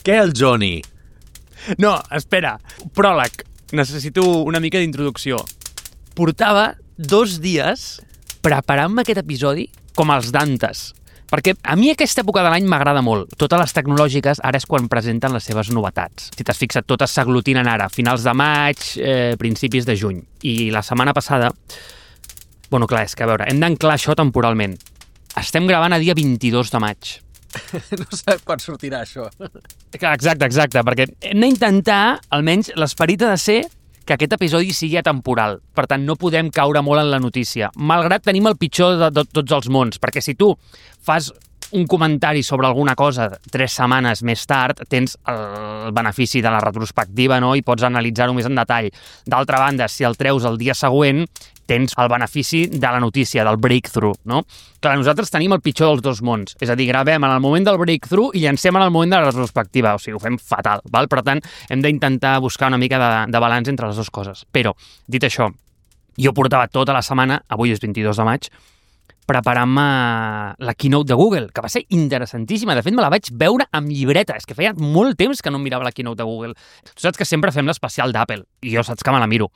Què el Johnny? No, espera. Pròleg. Necessito una mica d'introducció. Portava 2 dies preparant-me aquest episodi com els Dantes. Perquè a mi aquesta època de l'any m'agrada molt. Totes les tecnològiques ara és quan presenten les seves novetats. Si t'has fixat, totes s'aglutinen ara, finals de maig, principis de juny. I la setmana passada... Bueno, clar, és que a veure, hem d'anclar això temporalment. Estem gravant a dia 22 de maig. No sé quan sortirà això. Exacte, perquè hem d'intentar, almenys l'esperit ha de ser que aquest episodi sigui atemporal. Per tant, no podem caure molt en la notícia. Malgrat tenim el pitjor de tots els mons, perquè si tu fas un comentari sobre alguna cosa 3 setmanes més tard, tens el benefici de la retrospectiva, no? I pots analitzar-ho més en detall. D'altra banda, si el treus el dia següent, tens el benefici de la notícia, del breakthrough, no? Clar, nosaltres tenim el pitjor dels 2 mons. És a dir, gravem en el moment del breakthrough i llancem en el moment de la retrospectiva. O sigui, ho fem fatal, val? Per tant, hem d'intentar buscar una mica de balanç entre les 2 coses. Però, dit això, jo portava tota la setmana, avui és 22 de maig, preparant-me la keynote de Google, que va ser interessantíssima. De fet, me la vaig veure amb llibreta. És que feia molt temps que no em mirava la keynote de Google. Tu saps que sempre fem l'especial d'Apple, i jo saps que me la miro.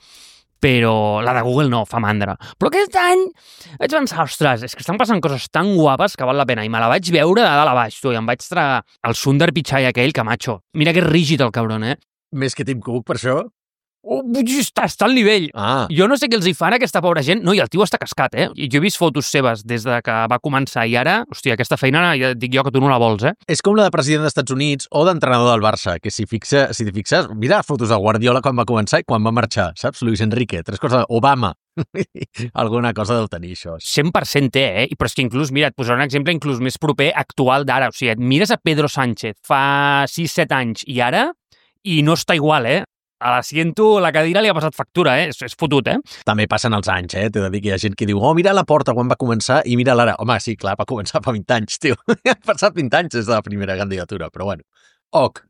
Però la de Google no, fa mandra. Però aquest any vaig pensar, ostres, és que estan passant coses tan guapes que val la pena. I me la vaig veure de dalt a baix, tu, i em vaig tragar el Sundar Pichai aquell, que macho. Mira que és rígid el cabron, eh? Més que Tim Cook, per això? Oh, està al nivell. Ah. Jo no sé què els hi fan a aquesta pobra gent. No, i el tio està cascat, eh? I jo he vist fotos seves des de que va començar i ara, hòstia, aquesta feina ja dic jo que tu no la vols, eh? És com la de president dels Estats Units o d'entrenador del Barça, que si t'hi fixes, mira fotos de Guardiola quan va començar i quan va marxar, saps? Luis Enrique, 3 coses, Obama. Alguna cosa deu tenir, això. 100% té, eh? Però és que inclús, mira, et posaré un exemple inclús més proper actual d'ara. O sigui, et mires a Pedro Sánchez fa 6-7 anys i ara, i no està igual, eh? A l'assiento, la cadira li ha passat factura, eh? És fotut, eh? També passen els anys, eh? T'he de dir que hi ha gent que diu, oh, mira la porta quan va començar i mira l'ara. Home, sí, clar, va començar fa 20 anys, tio. Han passat 20 anys des de la primera candidatura, però bueno. Ok,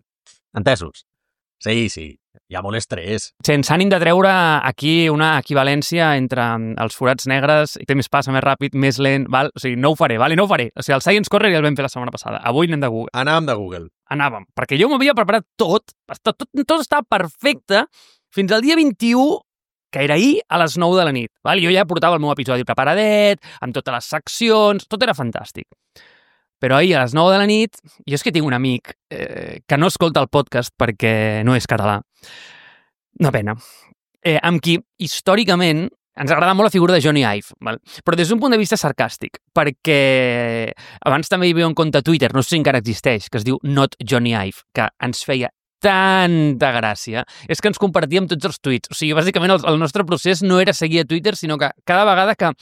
entesos. Sí, hi ha molt estrès. Sense ànim de treure aquí una equivalència entre els forats negres, i temps passa més ràpid, més lent, val? O sigui, no ho faré, vale? No ho faré. O sigui, el Science Corner ja el vam fer la setmana passada. Avui anem de Google. Anàvem de Google. Anàvem, perquè jo m'havia preparat tot estava perfecte fins al dia 21, que era ahir a les 9 de la nit. Val? Jo ja portava el meu episodi preparadet, amb totes les seccions, tot era fantàstic. Però ahir a les 9 de la nit, jo és que tinc un amic que no escolta el podcast perquè no és català. Una pena. Amb qui, històricament, ens agrada molt la figura de Johnny Ive, val? Però des d'un punt de vista sarcàstic, perquè abans també hi havia un compte a Twitter, no sé si encara existeix, que es diu Not Johnny Ive, que ens feia tanta gràcia. És que ens compartíem tots els tuits. O sigui, bàsicament el nostre procés no era seguir a Twitter, sinó que cada vegada que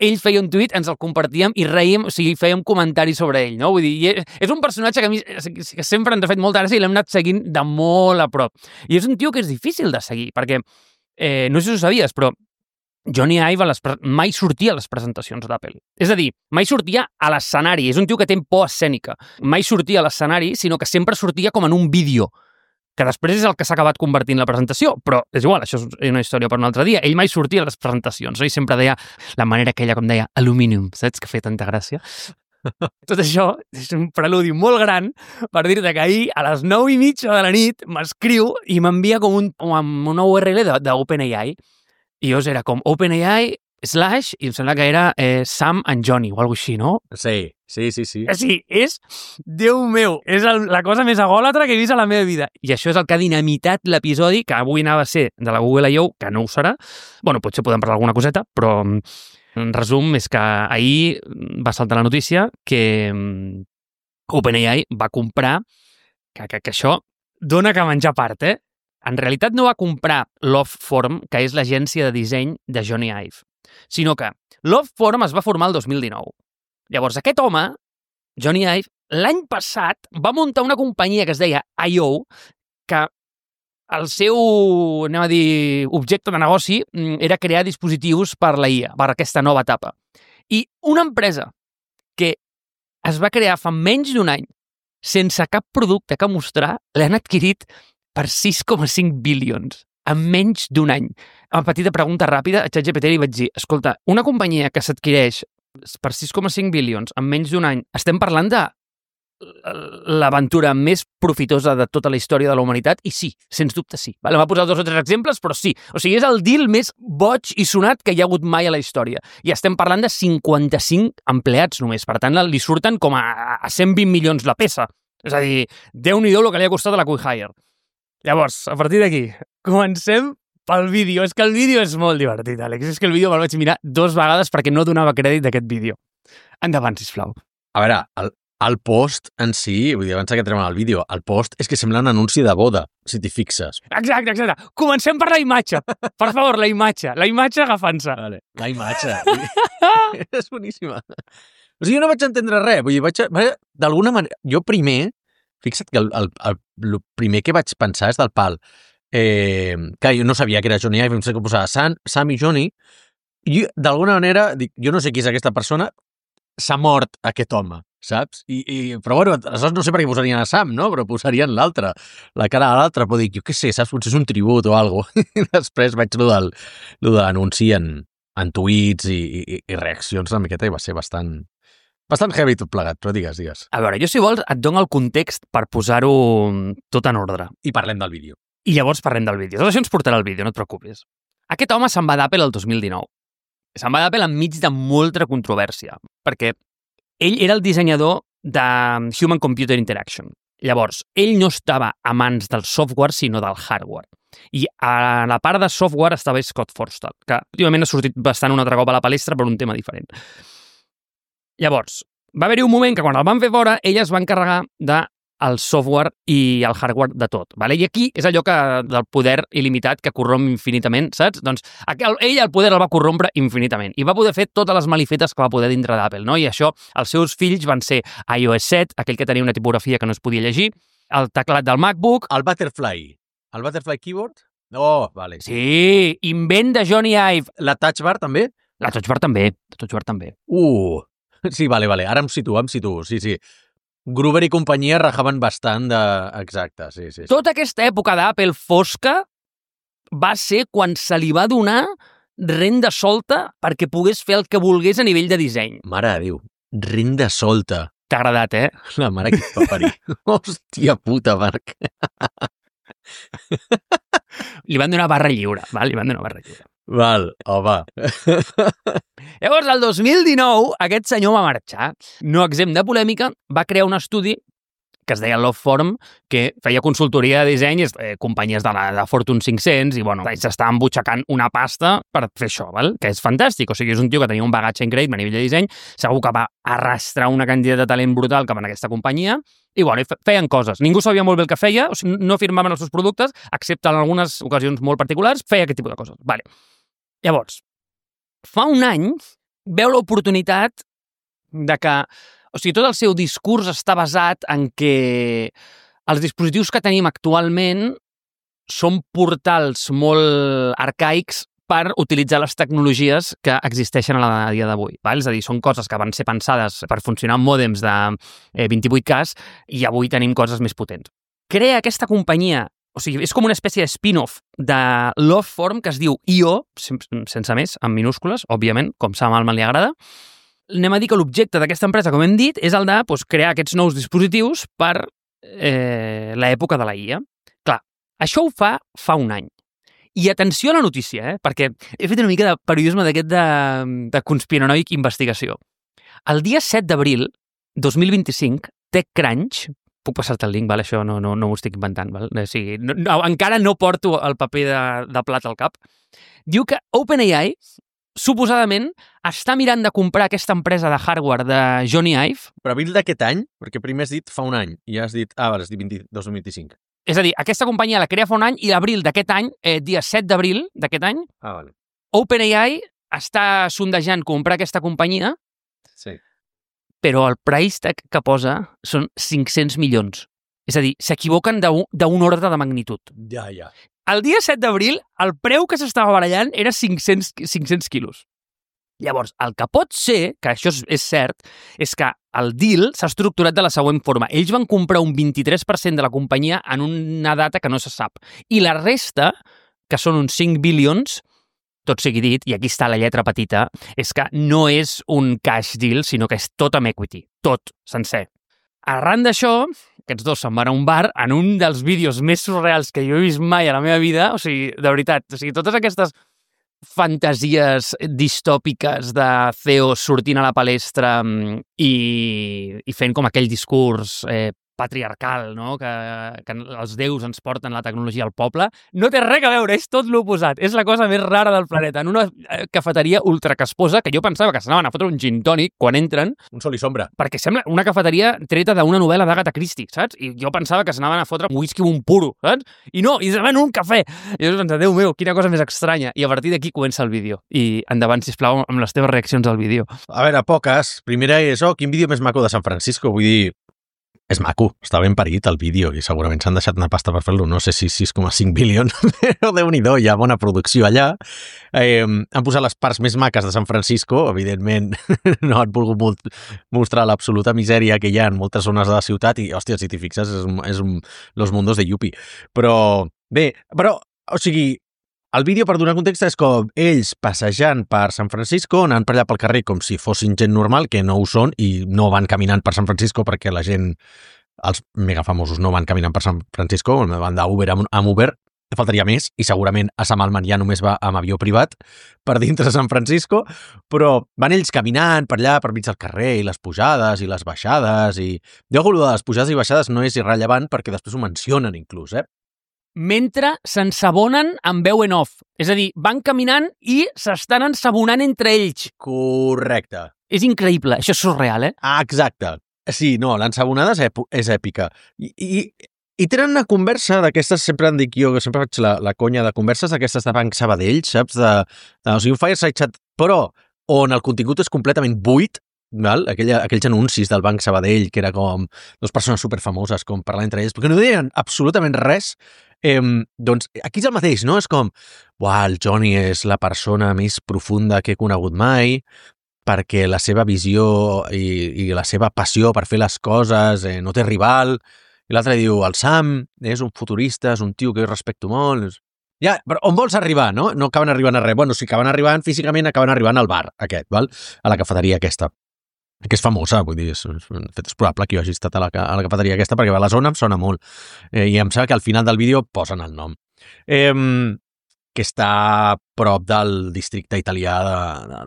ell feia un tuit, ens el compartíem i reíem, o sigui, fèiem comentaris sobre ell, no? Vull dir, és un personatge que a mi que sempre ens ha fet molta gràcia i l'hem anat seguint de molt a prop. I és un tio que és difícil de seguir, perquè, no sé si ho sabies, però Johnny Ive mai sortia a les presentacions d'Apple. És a dir, mai sortia a l'escenari. És un tio que té por escènica. Mai sortia a l'escenari, sinó que sempre sortia com en un vídeo, que després és el que s'ha acabat convertint la presentació, però és igual, això és una història per un altre dia. Ell mai sortia a les presentacions, no? I sempre deia la manera que ella, com deia, aluminium, saps? Que feia tanta gràcia. Tot això és un preludi molt gran per dir-te que ahir, a les 9:30 de la nit, m'escriu i m'envia com una URL d'OpenAI. I llavors era com OpenAI / i em sembla que era Sam and Johnny o alguna així, no? Sí. Sí, és, Déu meu, és la cosa més agòlatra que he vist a la meva vida. I això és el que ha dinamitat l'episodi, que avui anava a ser de la Google I.O., que no ho serà. Bueno, potser podem parlar alguna coseta, però en resum és que ahir va saltar la notícia que OpenAI va comprar, que això dona que menjar part, eh? En realitat no va comprar Loveform, que és l'agència de disseny de Johnny Ive, sinó que Loveform es va formar el 2019. Llavors, aquest home, Johnny Ive, l'any passat va muntar una companyia que es deia I.O., que el seu, anem a dir, objecte de negoci era crear dispositius per la IA, per aquesta nova etapa. I una empresa que es va crear fa menys d'un any, sense cap producte que mostrar, l'han adquirit per 6,5 bilions, en menys d'un any. Una petita pregunta ràpida, a ChatGPT li vaig dir, escolta, una companyia que s'adquireix per 6,5 bilions en menys d'un any, estem parlant de l'aventura més profitosa de tota la història de la humanitat, i sí, sens dubte sí. Vale? Va posar 2 o 3 exemples, però sí. O sigui, és el deal més boig i sonat que hi ha hagut mai a la història. I estem parlant de 55 empleats només. Per tant, li surten com a 120 milions la peça. És a dir, Déu-n'hi-do el que li ha costat a la Quick Hire. Llavors, a partir d'aquí, comencem pel vídeo. És que el vídeo és molt divertit, Àlex. És que el vídeo me'l vaig mirar 2 vegades perquè no donava crèdit d'aquest vídeo. Endavant, sisplau. A veure, el post en si, vull dir, abans que entrem al vídeo, el post és que sembla un anunci de boda, si t'hi fixes. Exacte. Comencem per la imatge. Per favor, la imatge. La imatge agafant-se. Vale. La imatge. És boníssima. O sigui, jo no vaig entendre res. Vull dir, d'alguna manera... Jo primer, fixa't que el primer que vaig pensar és del pal. Que jo no sabia que era Johnny Ive, em sé que posava Sam i Johnny, i d'alguna manera, dic, jo no sé qui és aquesta persona, s'ha mort aquest home, saps? Però bueno, aleshores no sé per què posarien a Sam, no? Però posarien l'altre, la cara a l'altre, però dic, jo què sé, saps? Potser és un tribut o alguna cosa. I després vaig lo de l'anunci en tuits i reaccions una miqueta i va ser bastant heavy tot plegat, però digues. A veure, jo si vols et dono el context per posar-ho tot en ordre. I parlem del vídeo. I llavors parlem del vídeo. Tot això ens portarà al vídeo, no et preocupis. Aquest home se'n va d'Apple el 2019. Se'n va d'Apple enmig de molta controvèrsia, perquè ell era el dissenyador de Human Computer Interaction. Llavors, ell no estava a mans del software, sinó del hardware. I a la part de software estava Scott Forstall, que últimament ha sortit bastant un altre cop a la palestra per un tema diferent. Llavors, va haver-hi un moment que quan el van fer fora, ell es va encarregar del software i el hardware de tot. Vale? I aquí és allò del poder il·limitat que corromp infinitament, saps? Doncs ell el poder el va corrompre infinitament i va poder fer totes les malifetes que va poder dintre d'Apple, no? I això, els seus fills van ser iOS 7, aquell que tenia una tipografia que no es podia llegir, el teclat del MacBook... El Butterfly Keyboard? Oh, vale. Sí, invent de Johnny Ive. La Touch Bar també? La Touch Bar també. Sí, vale. Ara em situo, sí. Gruber i companyia rajaven bastant de... Exacte, sí. Tota aquesta època d'Apple fosca va ser quan se li va donar renda solta perquè pogués fer el que volgués a nivell de disseny. Mare de Déu, renda solta. T'ha agradat, eh? La mare que et va parir. Hòstia puta, Marc. Li van donar barra lliure, val? Val, home. Llavors, el 2019, aquest senyor va marxar. No exempt de polèmica, va crear un estudi que es deia Love Forum, que feia consultoria de disseny, companyies de Fortune 500, i bueno, s'estaven butxacant una pasta per fer això, val? Que és fantàstic. O sigui, és un tio que tenia un bagatge increïble a nivell de disseny, segur que va arrastrar una quantitat de talent brutal cap en aquesta companyia, i bueno, feien coses. Ningú sabia molt bé el que feia, o sigui, no firmaven els seus productes, excepte en algunes ocasions molt particulars, feia aquest tipus de coses. Vale. Llavors, fa un any veu l'oportunitat de que, o sigui, tot el seu discurs està basat en que els dispositius que tenim actualment són portals molt arcaics per utilitzar les tecnologies que existeixen a dia d'avui. És a dir, són coses que van ser pensades per funcionar amb mòdems de 28K i avui tenim coses més potents. Crea aquesta companyia, o sigui, és com una espècie de spin-off de Love Forum que es diu IO, sense més, en minúscules, òbviament, com Sam Altman li agrada. Anem a dir que l'objecte d'aquesta empresa, com hem dit, és el de crear aquests nous dispositius per l'època de la IA. Clar, això ho fa un any. I atenció a la notícia, perquè he fet una mica de periodisme d'aquest de conspiranoic investigació. El dia 7 d'abril 2025, TechCrunch, puc passar-te el link, val? Això no ho estic inventant, val? O sigui, encara no porto el paper de plat al cap, diu que OpenAI suposadament està mirant de comprar aquesta empresa de hardware de Johnny Ive. Però abril d'aquest any? Perquè primer has dit fa un any i has dit, has dit 2025. És a dir, aquesta companyia la crea fa un any i l'abril d'aquest any, dia 7 d'abril d'aquest any, vale. OpenAI està sondejant comprar aquesta companyia, sí. Però el price tag que posa són 500 milions. És a dir, s'equivoquen d'un ordre de magnitud. Ja. El dia 7 d'abril, el preu que s'estava barallant era 500 quilos. Llavors, el que pot ser, que això és cert, és que el deal s'ha estructurat de la següent forma. Ells van comprar un 23% de la companyia en una data que no se sap. I la resta, que són uns 5 bilions, tot sigui dit, i aquí està la lletra petita, és que no és un cash deal, sinó que és tot amb equity. Tot, sencer. arran d'això, aquests dos se'n van a un bar en un dels vídeos més surreals que jo he vist mai a la meva vida. O sigui, de veritat, totes aquestes fantasies distòpiques de CEO sortint a la palestra i fent com aquell discurs patriarcal, no? Que els déus ens porten la tecnologia al poble, no té res a veure, és tot l'oposat. És la cosa més rara del planeta. En una cafeteria ultracasposa, que jo pensava que s'anaven a fotre un gin tònic quan entren. Un sol i sombra. Perquè sembla una cafeteria treta d'una novel·la d'Agatha Christie, saps? I jo pensava que s'anaven a fotre un whisky o un puro, saps? I no, i s'anaven un cafè. I jo pensava, Déu meu, quina cosa més estranya. I a partir d'aquí comença el vídeo. I endavant, sisplau, amb les teves reaccions al vídeo. A veure, poques. Primera és, quin vídeo més maco de San Francisco. Vull dir, és maco, està ben parit el vídeo i segurament s'han deixat una pasta per fer-lo, no sé si 6,5 bilions, però Déu-n'hi-do, hi ha bona producció allà. Han posat les parts més maques de San Francisco, evidentment no han volgut mostrar l'absoluta misèria que hi ha en moltes zones de la ciutat i, hòstia, si t'hi fixes, és Los Mundos de Yuppie. Però, bé, o sigui, el vídeo, per donar context, és com ells passejant per San Francisco, anant per allà pel carrer com si fossin gent normal, que no ho són, i no van caminant per San Francisco perquè la gent, els mega famosos, no van caminant per San Francisco, van d'Uber amb Uber, faltaria més, i segurament a Sam Altman ja només va amb avió privat per dintre San Francisco, però van ells caminant per allà, per mig del carrer, i les pujades i les baixades, i... Jo, de les pujades i baixades no és irrellevant perquè després ho mencionen inclús, mentre s'ensabonen amb veu en off. És a dir, van caminant i s'estan ensabonant entre ells. Correcte. És increïble, això és surreal, Exacte. Sí, no, l'ensabonada és èpica. I tenen una conversa d'aquestes, sempre en dic jo, que sempre faig la conya de converses d'aquestes de Banc Sabadell, saps? O sigui, un fireside chat, però on el contingut és completament buit, val? Aquells anuncis del Banc Sabadell, que era com dues persones superfamoses com parlant entre ells, perquè no deien absolutament res. Doncs aquí és el mateix, no? És com, el Johnny és la persona més profunda que he conegut mai, perquè la seva visió i la seva passió per fer les coses no té rival. I l'altre diu, el Sam és un futurista, és un tio que jo respecto molt. Ja, però on vols arribar, no? No acaben arribant a res. Bueno, si acaben arribant físicament, acaben arribant al bar aquest, val? A la cafeteria aquesta, que és famosa, vull dir, és probable que jo hagi estat a la cafeteria aquesta perquè a la zona em sona molt. I em sembla que al final del vídeo posen el nom. Que està a prop del districte italià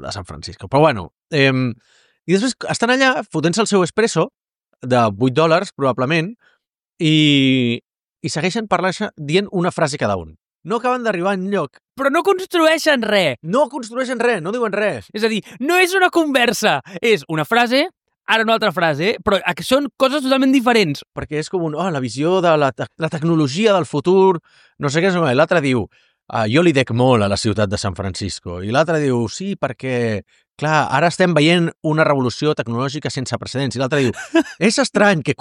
de San Francisco. Però bueno, i després estan allà fotent-se el seu espresso de $8, probablement, i segueixen parlant dient una frase cada un. No acaben d'arribar enlloc. Però no construeixen res. No construeixen res, no diuen res. És a dir, no és una conversa, és una frase, ara una altra frase, però són coses totalment diferents. Perquè és com la visió de la tecnologia del futur, no sé què és, l'altre diu, jo li dec molt a la ciutat de San Francisco, i l'altre diu, sí, perquè, clar, ara estem veient una revolució tecnològica sense precedents, i l'altre diu, és estrany que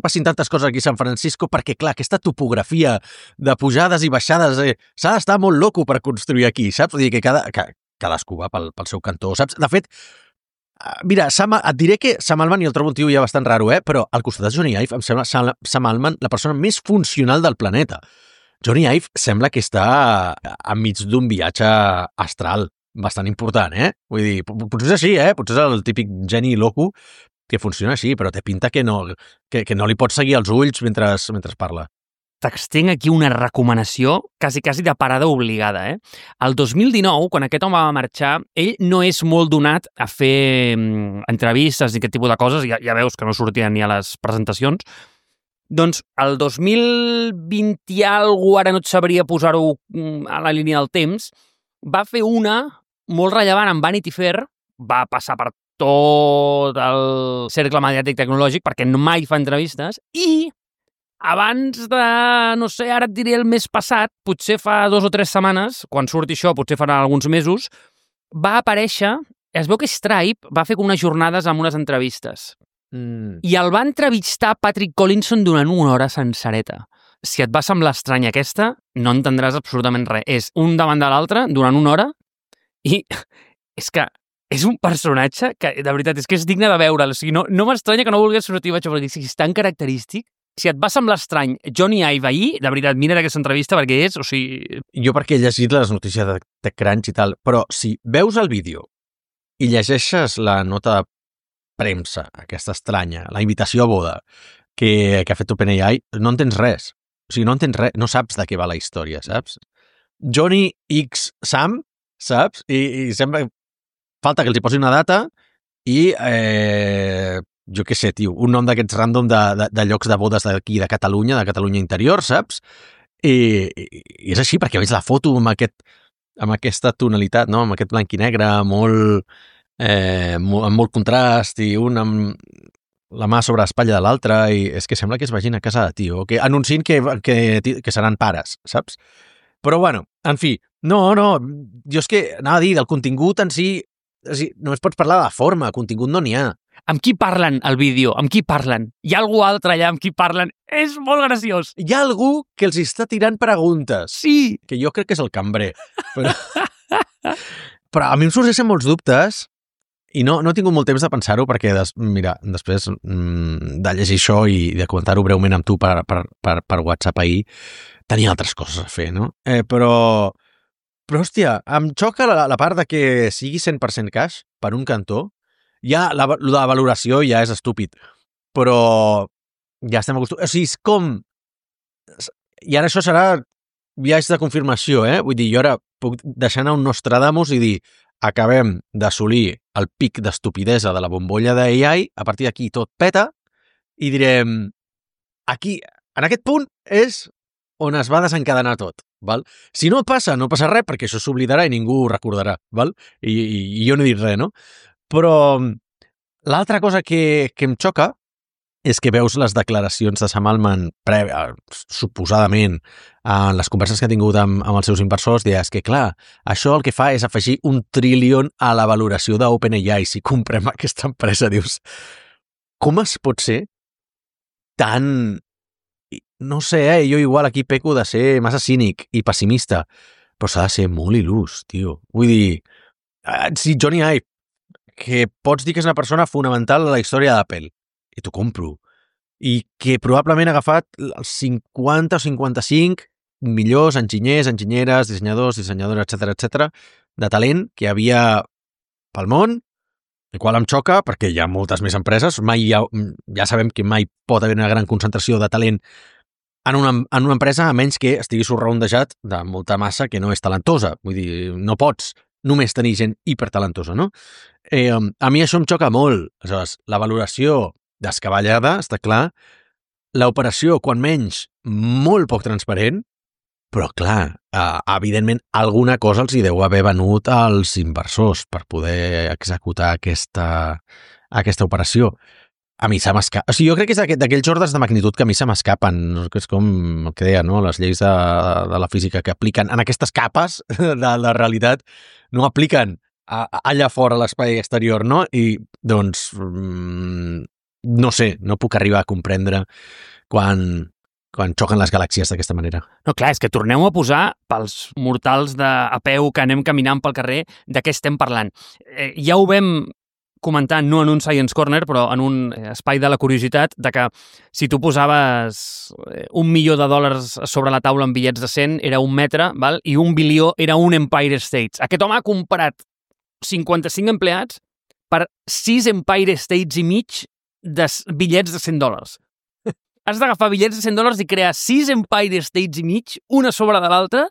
passin tantes coses aquí a San Francisco perquè, clar, aquesta topografia de pujades i baixades, s'ha d'estar molt loco per construir aquí, saps? Vull dir que cadascú va pel seu cantó, saps? De fet, mira, et diré que Sam Altman, i el trobo un tio ja bastant raro, però al costat de Johnny Ive em sembla Sam Altman la persona més funcional del planeta. Johnny Ive sembla que està enmig d'un viatge astral bastant important, Vull dir, potser és així, Potser és el típic geni loco que funciona així, però té pinta que no li pots seguir els ulls mentre parla. T'extenc aquí una recomanació quasi de parada obligada, El 2019, quan aquest home va marxar, ell no és molt donat a fer entrevistes i aquest tipus de coses, ja veus que no sortien ni a les presentacions. Doncs el 2020 i alguna, ara no et sabria posar-ho a la línia del temps, va fer una molt rellevant amb Vanity Fair, va passar per tot el cercle mediàtic tecnològic perquè mai fa entrevistes, i abans de, no sé, ara et diré el mes passat, potser fa 2 o 3 setmanes, quan surti això, potser farà alguns mesos, va aparèixer, es veu que Stripe va fer unes jornades amb unes entrevistes. I el va entrevistar Patrick Collinson durant 1 hora sencereta. Si et va semblar estranya aquesta, no entendràs absolutament res. És un davant de l'altre durant 1 hora i és que és un personatge que, de veritat, és que és digne de veure'l. O sigui, no m'estranya que no volgués sortir a perquè és tan característic. Si et va semblar estrany Johnny Ive ahir, de veritat, mira aquesta entrevista perquè és, o sigui... Jo perquè he llegit les notícies de TechCrunch i tal, però si veus el vídeo i llegeixes la nota premsa, aquesta estranya, la invitació a boda que ha fet OpenAI, no entens res. O sigui, no entens res, no saps de què va la història, saps? Johnny X Sam, saps? I sembla... Falta que els hi posi una data i, jo què sé, tio, un nom d'aquests random de llocs de bodes d'aquí, de Catalunya interior, saps? I és així, perquè veig la foto amb aquesta tonalitat, no? Amb aquest blanc i negre, amb molt contrast, i un amb la mà sobre l'espatlla de l'altre, i és que sembla que es vagin a casa de tio, que anunciïn que seran pares, saps? Però, bueno, en fi, no, jo és que anava a dir, del contingut en si, només pots parlar de la forma, contingut no n'hi ha. Amb qui parlen al vídeo? Amb qui parlen? Hi ha algú altre allà amb qui parlen? És molt graciós. Hi ha algú que els està tirant preguntes. Sí. Que jo crec que és el cambrer. Però a mi em sorgeixen molts dubtes i no he tingut molt temps de pensar-ho perquè, mira, després de llegir això i de comentar-ho breument amb tu per WhatsApp ahir, tenia altres coses a fer, no? Però, hòstia, em xoca la part de que sigui 100% cash per un cantó. Ja, la valoració ja és estúpid, però ja estem acostumats. O sigui, és com... I ara això serà viatge de confirmació, Vull dir, jo ara puc deixar anar un Nostradamus i dir acabem d'assolir el pic d'estupidesa de la bombolla d'AI, a partir d'aquí tot peta, i direm, aquí, en aquest punt, és on es va desencadenar tot, val? Si no passa, no passa res, perquè això s'oblidarà i ningú ho recordarà, val? I jo no he dit res, no? Però l'altra cosa que em xoca és que veus les declaracions de Sam Altman suposadament en les converses que ha tingut amb els seus inversors, és que, clar, això el que fa és afegir 1 trillion a la valoració d'OpenAI. Si comprem aquesta empresa, dius, com es pot ser tan... No sé, jo igual aquí peco de ser massa cínic i pessimista, però s'ha de ser molt il·lús, tio. Vull dir, si Johnny Ive, que pots dir que és una persona fonamental a la història d'Apple, i t'ho compro, i que probablement ha agafat els 50 o 55 millors enginyers, enginyeres, dissenyadors, etc de talent que hi havia pel món, el qual em xoca perquè hi ha moltes més empreses, ja sabem que mai pot haver una gran concentració de talent en una empresa, a menys que estiguis surroundejat de molta massa que no és talentosa. Vull dir, no pots només tenir gent hipertalentosa, no? A mi això em xoca molt. Aleshores, la valoració descabellada, està clar, l'operació, quan menys, molt poc transparent, però clar, evidentment, alguna cosa els hi deu haver venut als inversors per poder executar aquesta operació. A mi se m'escapa. O sigui, jo crec que és d'aquells ordres de magnitud que a mi se m'escapen, que és com el que deia, no? Les lleis de la física que apliquen en aquestes capes de la realitat, no apliquen allà fora a l'espai exterior, no? I, doncs, no sé, no puc arribar a comprendre quan xoquen les galàxies d'aquesta manera. No, clar, és que tornem a posar pels mortals a peu que anem caminant pel carrer de què estem parlant. Ja ho vam comentar, no en un Science Corner, però en un espai de la curiositat, de que si tu posaves $1 milió sobre la taula en bitllets de 100, era 1 metre, val? I 1 bilió era un Empire State. Aquest home ha comprat 55 empleats per 6 Empire States i mig de bitllets de $100. Has d'agafar bitllets de $100 i crear 6 Empire States i mig, una sobre de l'altra,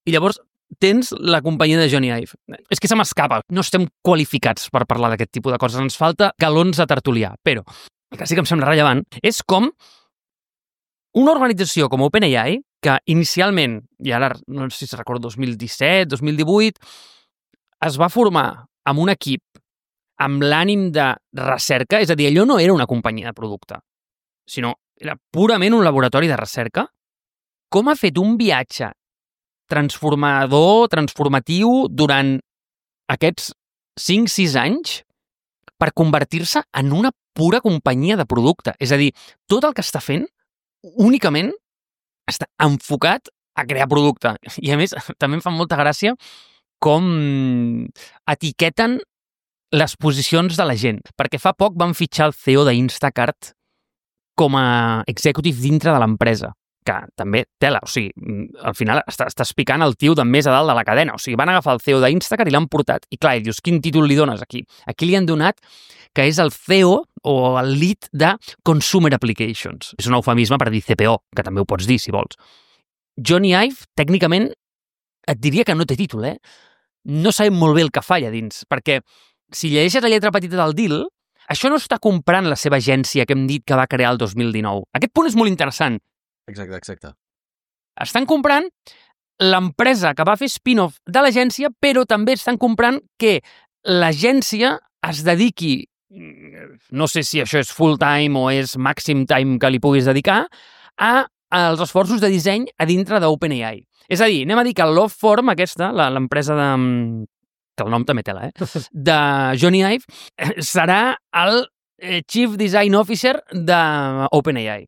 i llavors tens la companyia de Johnny Ive. És que se m'escapa. No estem qualificats per parlar d'aquest tipus de coses. Ens falta galons a tertuliar. Però el que sí que em sembla rellevant és com una organització com OpenAI, que inicialment, i ara no sé si recordo 2017, 2018, es va formar amb un equip amb l'ànim de recerca, és a dir, allò no era una companyia de producte, sinó era purament un laboratori de recerca, com ha fet un viatge transformatiu durant aquests 5-6 anys per convertir-se en una pura companyia de producte. És a dir, tot el que està fent únicament està enfocat a crear producte. I a més, també em fa molta gràcia com etiqueten les posicions de la gent. Perquè fa poc van fitxar el CEO d'Instacart com a executive dintre de l'empresa. que també tela, o sigui, al final estàs picant el tio de més a dalt de la cadena, o sigui, van agafar el CEO d'Instagram i l'han portat, i clar, i dius, quin títol li dones aquí? Aquí li han donat que és el CEO o el lead de Consumer Applications. És un eufemisme per dir CPO, que també ho pots dir, si vols. Johnny Ive, tècnicament, et diria que no té títol, No sabem molt bé el que fa allà dins, perquè si llegeixes la lletra petita del deal, això no està comprant la seva agència que hem dit que va crear el 2019. Aquest punt és molt interessant. Exacte. Estan comprant l'empresa que va fer spin-off de l'agència, però també estan comprant que l'agència es dediqui, no sé si això és full-time o és màxim time que li puguis dedicar, als esforços de disseny a dintre d'OpenAI. És a dir, anem a dir que Loveform, aquesta, l'empresa de... que el nom també tela, de Johnny Ive, serà el Chief Design Officer d'OpenAI.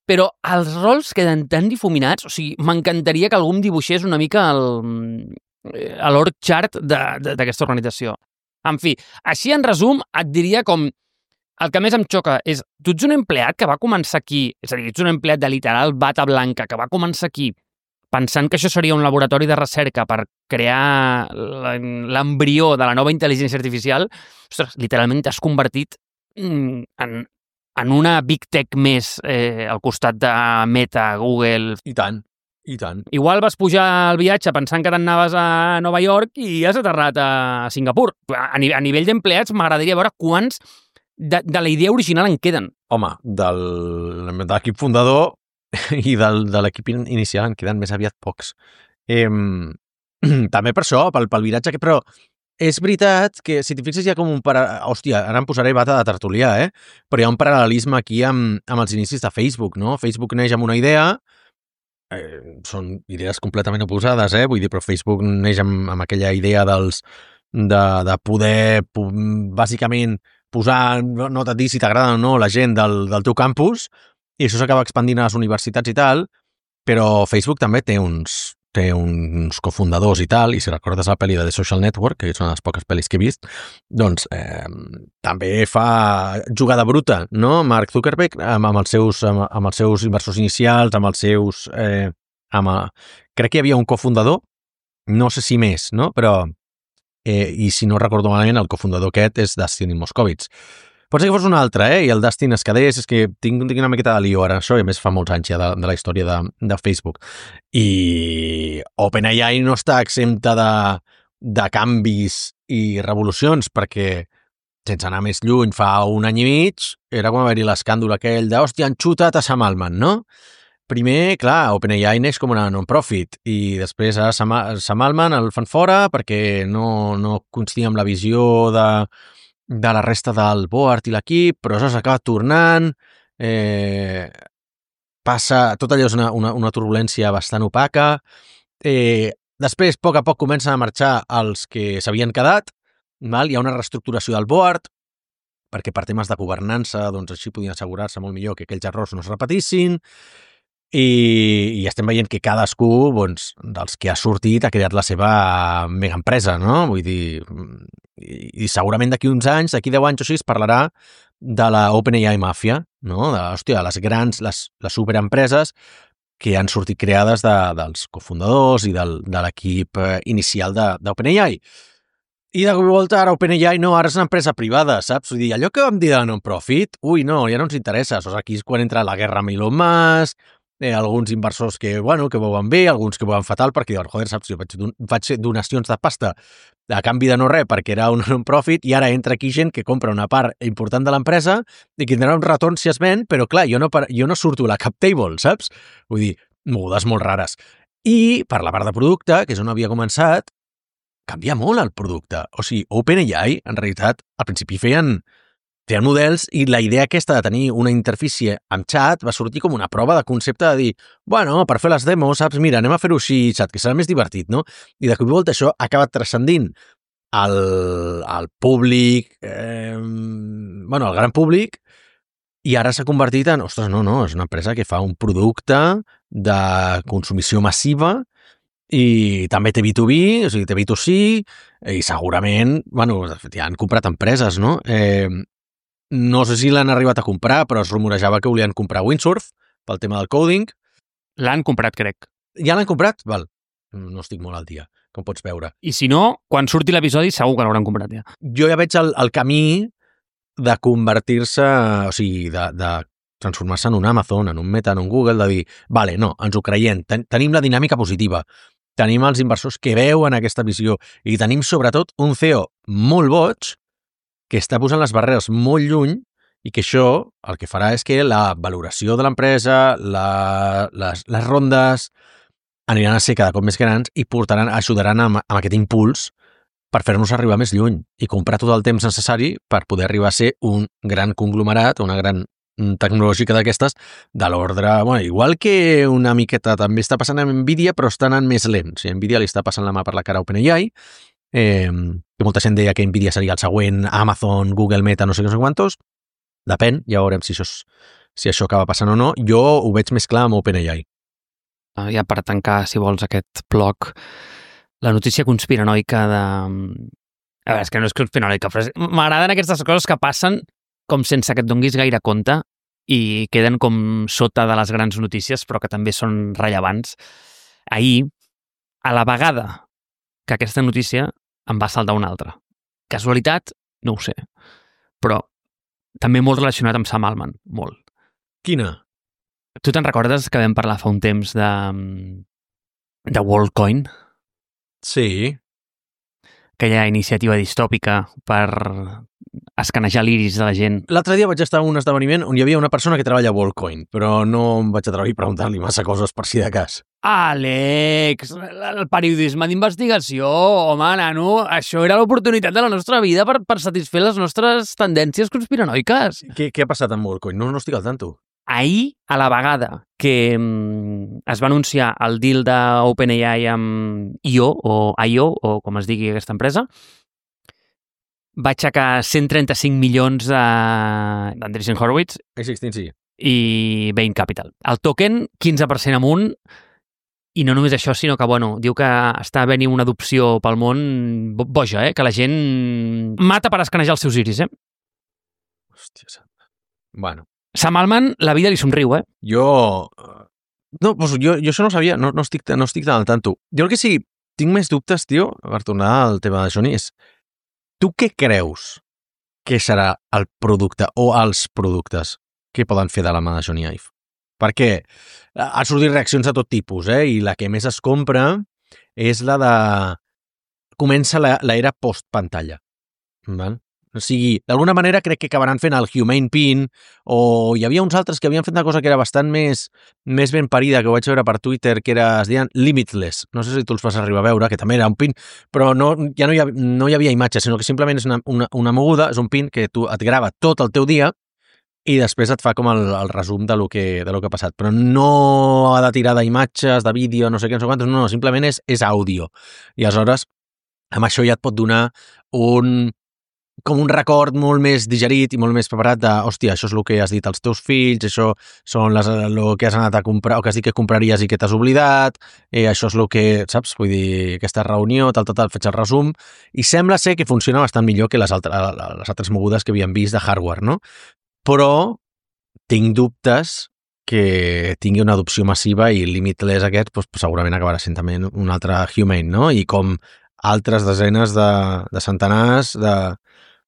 Però els rols queden tan difuminats, o sigui, m'encantaria que algú em dibuixés una mica l'org chart d'aquesta organització. En fi, així en resum, et diria com el que més em xoca és, tu ets un empleat que va començar aquí, és a dir, ets un empleat de literal bata blanca que va començar aquí pensant que això seria un laboratori de recerca per crear l'embrió de la nova intel·ligència artificial, ostres, literalment t'has convertit en una big tech més al costat de Meta, Google... I tant. Igual vas pujar al viatge pensant que t'anaves a Nova York i has aterrat a Singapur. A nivell d'empleats m'agradaria veure quants de la idea original en queden. Home, de l'equip fundador i de l'equip inicial en queden més aviat pocs. També per això, pel viratge, però és veritat que, si t'hi fixes, hi ha com un... Hòstia, ara em posaré bata de tertulià, però hi ha un paral·lelisme aquí amb els inicis de Facebook, no? Facebook neix amb una idea, són idees completament oposades, vull dir, però Facebook neix amb aquella idea de poder, bàsicament, posar, no et dir si t'agrada o no, la gent del teu campus, i això s'acaba expandint a les universitats i tal, però Facebook també té uns cofundadors i tal, i si recordes la pel·li de The Social Network, que és una de les poques pel·lis que he vist, doncs també fa jugada bruta, no? Mark Zuckerberg amb els seus inversors inicials, amb els seus... crec que hi havia un cofundador, no sé si més, no? Però, i si no recordo malament, el cofundador aquest és Dustin Moskovitz. Pot ser que fos un altre, i el Dustin es quedés, és que tinc una miqueta de lío ara, això, i a més fa molts anys ja de la història de Facebook. I OpenAI no està exempta de canvis i revolucions, perquè, sense anar més lluny, fa un any i mig, era com haver-hi l'escàndol aquell de, hòstia, han xutat a Sam Altman, no? Primer, clar, OpenAI neix com una non-profit, i després a Sam Altman el fan fora perquè no coincidia amb la visió de la resta del board i l'equip, però això s'acaba tornant, passa, tot allò és una turbulència bastant opaca, després, a poc comencen a marxar els que s'havien quedat, hi ha una reestructuració del board, perquè per temes de governança, doncs així podien assegurar-se molt millor que aquells errors no es repetissin, i estem veient que cadascú, doncs, dels que ha sortit ha creat la seva mega empresa, no? Vull dir, i segurament d'aquí uns anys, d'aquí 10 anys o així, es parlarà de la OpenAI Mafia, no? Hòstia, les grans, les superempreses que han sortit creades dels cofundadors i de l'equip inicial d'OpenAI. I de volta ara OpenAI ara és una empresa privada, saps? Vull dir, allò que vam dir de non-profit, no, ja no ens interessa. Aquí és quan entra la guerra amb Elon Musk, alguns inversors que veuen bé, alguns que veuen fatal, perquè diuen, joder, saps, jo vaig fer donacions de pasta a canvi de no res perquè era un non-profit, i ara entra aquí gent que compra una part important de l'empresa i que tindrà un retorn si es ven, però clar, jo no surto a la cap table, saps? Vull dir, mogudes molt rares. I per la part de producte, que és on havia començat, canvia molt el producte. O sigui, OpenAI, en realitat, al principi feien models, i la idea aquesta de tenir una interfície amb chat va sortir com una prova de concepte de dir, per fer les demos, saps, mira, anem a fer-ho així, chat, que serà més divertit, no? I de cop i volta això ha acabat transcendint al públic, el gran públic, i ara s'ha convertit en, ostres, no, és una empresa que fa un producte de consumició massiva, i també té B2B, o sigui, té B2C, i segurament, de fet, ja han comprat empreses, no? No sé si l'han arribat a comprar, però es rumorejava que volien comprar Windsurf pel tema del coding, L'han comprat, crec. Ja l'han comprat? Val. No estic molt al dia, com pots veure. I si no, quan surti l'episodi segur que l'hauran comprat ja. Jo ja veig el camí de convertir-se, o sigui, de transformar-se en un Amazon, en un Meta, en un Google, de dir, vale, no, ens ho creiem, tenim la dinàmica positiva, tenim els inversors que veuen aquesta visió i tenim, sobretot, un CEO molt boig que està posant les barreres molt lluny i que això el que farà és que la valoració de l'empresa, les rondes aniran a ser cada cop més grans i ajudaran amb aquest impuls per fer-nos arribar més lluny i comprar tot el temps necessari per poder arribar a ser un gran conglomerat, una gran tecnològica d'aquestes, de l'ordre... Bueno, igual que una miqueta també està passant amb Nvidia, però està anant més lent. O sigui, Nvidia li està passant la mà per la cara a OpenAI, que molta gent deia que Nvidia seria el següent Amazon, Google, Meta, no sé què, no sé quantos. Depèn, ja veurem si això acaba passant o no. Jo ho veig més clar amb OpenAI. Ja per tancar, si vols, aquest bloc, la notícia conspiranoica de... A veure, és que no és conspiranoica, però m'agraden aquestes coses que passen com sense que et donguis gaire compte i queden com sota de les grans notícies, però que també són rellevants. Ahir, a la vegada que aquesta notícia em va saltar una altra. Casualitat? No ho sé. Però també molt relacionat amb Sam Altman, molt. Quina? Tu te'n recordes que vam parlar fa un temps de WorldCoin? Sí. Aquella iniciativa distòpica per escanejar l'iris de la gent. L'altre dia vaig estar a un esdeveniment on hi havia una persona que treballa a WorldCoin, però no em vaig atrevir a preguntar-li massa coses per si de cas. Àlex, el periodisme d'investigació, home, nano, això era l'oportunitat de la nostra vida per satisfer les nostres tendències conspiranoiques. Què ha passat amb WorldCoin? No estic al tanto. Ahir, a la vegada que es va anunciar el deal d'OpenAI amb IO, o com es digui aquesta empresa, va aixecar 135 milions d'Andreessen Horowitz sí. i Bain Capital. El token, 15% amunt, i no només això, sinó que, bueno, diu que està venint una adopció pel món boja, que la gent mata per escanejar els seus iris, Hòstia santa. Bueno. Sam Altman, la vida li somriu, Jo això no ho sabia, no estic tan al tanto. Jo el que sí, tinc més dubtes, tio, per tornar al tema de Sony, és tu què creus que serà el producte o els productes que poden fer de la mà de Sony Ive? Perquè ha sortit reaccions de tot tipus, i la que més es compra és la de... Comença l'era post-pantalla, val? O sigui, d'alguna manera crec que acabaran fent el Humane Pin, o hi havia uns altres que havien fet una cosa que era bastant més ben parida, que ho vaig veure per Twitter, que es deien Limitless. No sé si tu els vas arribar a veure, que també era un pin, però ja no hi havia imatge, sinó que simplement és una moguda, és un pin que et grava tot el teu dia i després et fa com el resum de lo que ha passat. Però no ha de tirar d'imatges, de vídeo, no sé què, no sé quantos, no, simplement és àudio. I aleshores, amb això ja et pot donar com un record molt més digerit i molt més preparat de, hòstia, això és el que has dit als teus fills, això són el que has anat a comprar, o que has dit que compraries i que t'has oblidat, això és el que, saps? Vull dir, aquesta reunió, tal, faig el resum, i sembla ser que funciona bastant millor que les altres mogudes que havíem vist de hardware, no? Però tinc dubtes que tingui una adopció massiva i Limitless aquest segurament acabarà sent també un altre Humane, no? I com altres desenes de centenars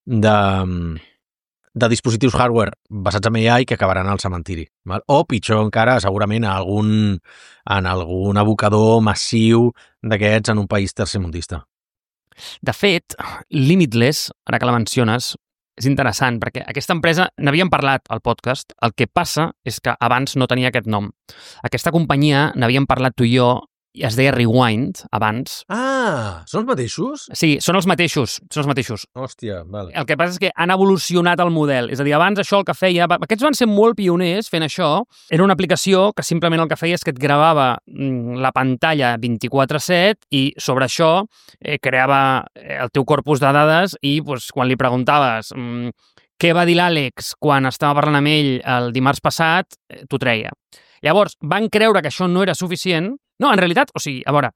de dispositius hardware basats en AI que acabaran al cementiri. Val? O, pitjor encara, segurament en algun abocador massiu d'aquests en un país tercermundista. De fet, Limitless, ara que la menciones, és interessant, perquè aquesta empresa, n'havíem parlat al podcast, el que passa és que abans no tenia aquest nom. Aquesta companyia, n'havíem parlat tu i jo, i es deia Rewind, abans. Ah, són els mateixos? Sí, són els mateixos. Hòstia, vale. El que passa és que han evolucionat el model. És a dir, abans això el que feia... Aquests van ser molt pioners fent això. Era una aplicació que simplement el que feia és que et gravava la pantalla 24/7 i sobre això creava el teu corpus de dades i quan li preguntaves què va dir l'Àlex quan estava parlant amb ell el dimarts passat, t'ho treia. Llavors, van creure que això no era suficient. No, en realitat, o sigui, a veure,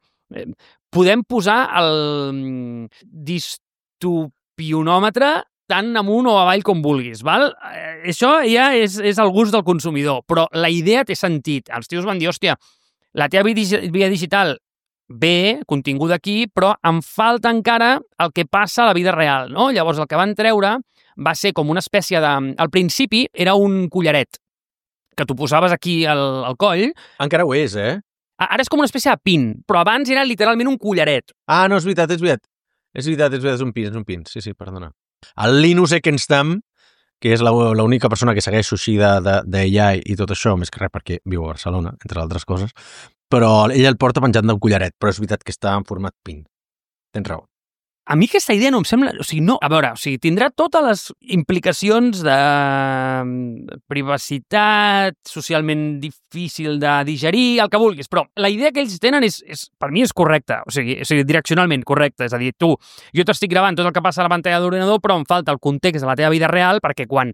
podem posar el distopionòmetre tant amunt o avall com vulguis, val? Això ja és el gust del consumidor, però la idea té sentit. Els tios van dir, hòstia, La teva vida digital bé, continguda aquí, però em falta encara el que passa a la vida real, no? Llavors, el que van treure va ser com una espècie de... Al principi era un collaret que tu posaves aquí al coll. Encara ho és, eh? Ara és com una espècie de pin, però abans era literalment un collaret. Ah, no, és veritat. És un pin. Sí, perdona. El Linus Ekenstam, que és l'única persona que segueixo així d'AI i tot això, més que res perquè viu a Barcelona, entre altres coses, però ell el porta penjant d'un collaret, però és veritat que està en format pin. Tens raó. A mi aquesta idea no em sembla... O sigui, no, a veure, tindrà totes les implicacions de privacitat, socialment difícil de digerir, el que vulguis, però la idea que ells tenen per mi és correcta, o sigui, direccionalment correcta, és a dir, jo t'estic gravant tot el que passa a la pantalla de l'ordinador, però em falta el context de la teva vida real, perquè quan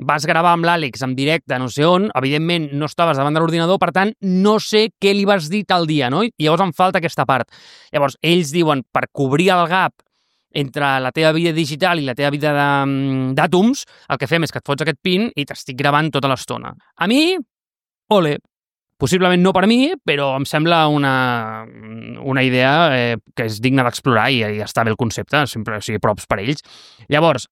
vas gravar amb l'Àlex en directe no sé on, evidentment no estaves davant de l'ordinador, per tant, no sé què li vas dir tal dia, no? I llavors em falta aquesta part. Llavors, ells diuen, per cobrir el gap entre la teva vida digital i la teva vida d'àtoms, el que fem és que et fots aquest pin i t'estic gravant tota l'estona. A mi, ole, possiblement no per mi, però em sembla una idea que és digna d'explorar i està bé el concepte, sempre, o sigui, props per ells. Llavors,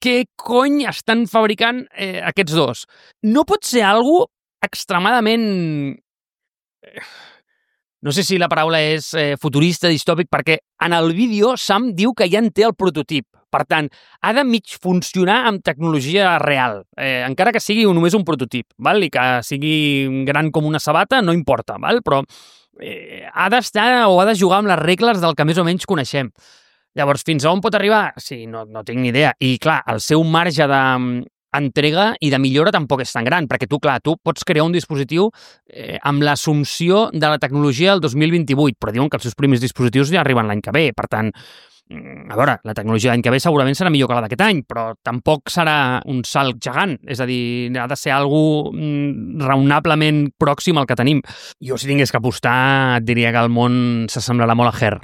què cony estan fabricant aquests dos? No pot ser algo extremadament... No sé si la paraula és futurista, distòpic, perquè en el vídeo Sam diu que ja en té el prototip. Per tant, ha de mig funcionar amb tecnologia real, encara que sigui només un prototip, val? I que sigui gran com una sabata, no importa, val? Però ha d'estar o ha de jugar amb les regles del que més o menys coneixem. Llavors, fins a on pot arribar? Sí, no tinc ni idea. I, clar, el seu marge d'entrega i de millora tampoc és tan gran, perquè tu pots crear un dispositiu amb l'assumpció de la tecnologia del 2028, però diuen que els seus primers dispositius ja arriben l'any que ve. Per tant, a veure, la tecnologia l'any que ve segurament serà millor que la d'aquest any, però tampoc serà un salt gegant. És a dir, ha de ser algo raonablement pròxim al que tenim. Jo, si tingués que apostar, et diria que el món s'assemblarà molt a Her.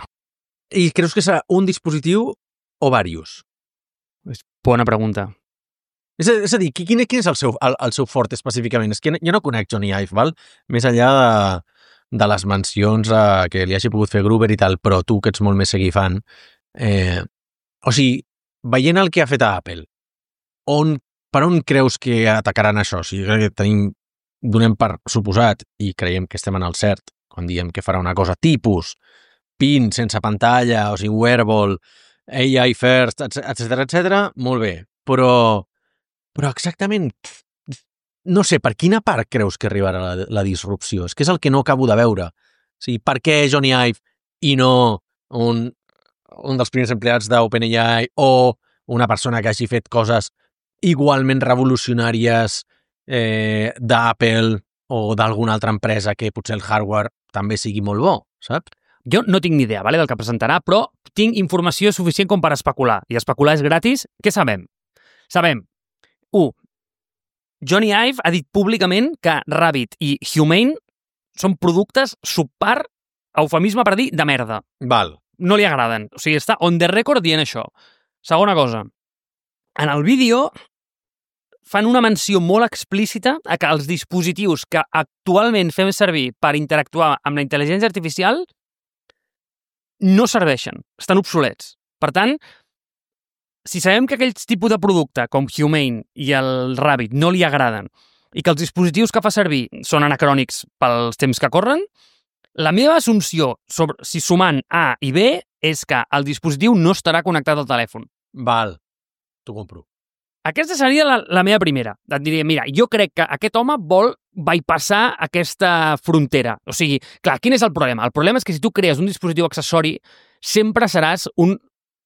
I creus que serà un dispositiu o diversos? Bona pregunta. És a dir, quin és el seu fort específicament? És que jo no conec Johnny Ive, val? Més enllà de les mencions que li hagi pogut fer Gruber i tal, però tu, que ets molt més seguir fan, o sigui, veient el que ha fet a Apple, per on creus que atacaran això? O sigui, crec que donem per suposat, i creiem que estem en el cert, quan diem que farà una cosa tipus pin sense pantalla, o sigui, wearable, AI first, etc, molt bé. Però exactament, no sé, per quina part creus que arribarà la disrupció? És que és el que no acabo de veure. O sigui, per què Johnny Ive i no un dels primers empleats d'OpenAI o una persona que hagi fet coses igualment revolucionàries d'Apple o d'alguna altra empresa que potser el hardware també sigui molt bo, saps? Jo no tinc ni idea del que presentarà, però tinc informació suficient com per especular. I especular és gratis. Què sabem? Sabem, 1. Johnny Ive ha dit públicament que Rabbit i Humane són productes subpar, eufemisme per dir, de merda. Val. No li agraden. O sigui, està on the record dient això. Segona cosa, en el vídeo fan una menció molt explícita a que els dispositius que actualment fem servir per interactuar amb la intel·ligència artificial no serveixen, estan obsolets. Per tant, si sabem que aquells tipus de producte, com Humane i el Rabbit, no li agraden i que els dispositius que fa servir són anacrònics pels temps que corren, la meva assumpció sobre si sumant A i B és que el dispositiu no estarà connectat al telèfon. Val, t'ho compro. Aquesta seria la meva primera. Et diria, mira, jo crec que aquest home vol bypassar aquesta frontera. O sigui, clar, quin és el problema? El problema és que si tu crees un dispositiu accessori, sempre seràs un